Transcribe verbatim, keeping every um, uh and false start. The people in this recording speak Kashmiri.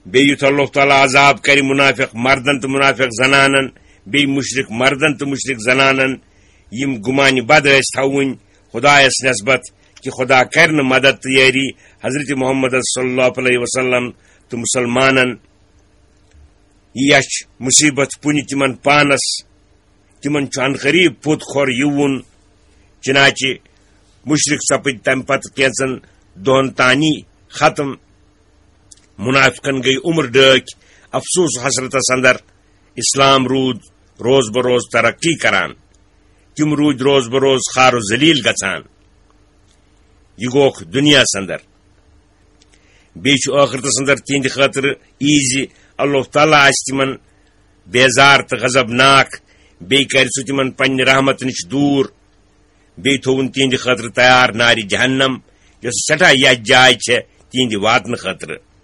بیٚیہِ یُتھ اللہ تعالیٰ عذاب کرِ منافق مردن تہٕ منافق زنانن، بیٚیہِ مُشرِک مردن تہٕ مُشرِک زنانن، یِم گُمانہِ بد ٲسۍ تھاوٕنۍ خدایس نسبت کہِ خدا کرِ نہٕ مدد تہٕ یٲری حضرت محمد صلی اللہ علیہ وسلم تہٕ مسلمانن۔ یہِ اَچھِ مُصیٖبت پُنہِ تِمن پانس، تِمن چھُ عنقریب پوٚت کھۄر یِوُن۔ چنانچہ مُشرِک سپٕدۍ تمہِ پتہٕ کینٛژن دۄہن تانی ختم۔ منافقن گٔیہِ عمر ڈٲکھۍ افسوس و حسرتس اندر۔ اسلام روٗد روز بہ روز ترقی کران، تِم روٗدۍ روز بہ روز خوار و ذلیل گژھان۔ یہِ گوکھ دُنیاہس اندر۔ بیٚیہِ چھُ ٲخرتس اندر تِہنٛدِ خٲطرٕ یی زِ اللہ تعالیٰ آسہِ تِمن بیزار تہٕ غضبناک، بیٚیہِ کرِ سُہ تِمن پننہِ رحمت نِش دوٗر، بیٚیہِ تھووُن تِہنٛدِ خٲطرٕ تیار نارِ جہنم، یۄس سٮ۪ٹھاہ یتھ جاے چھےٚ تِہنٛدِ واتنہٕ خٲطرٕ۔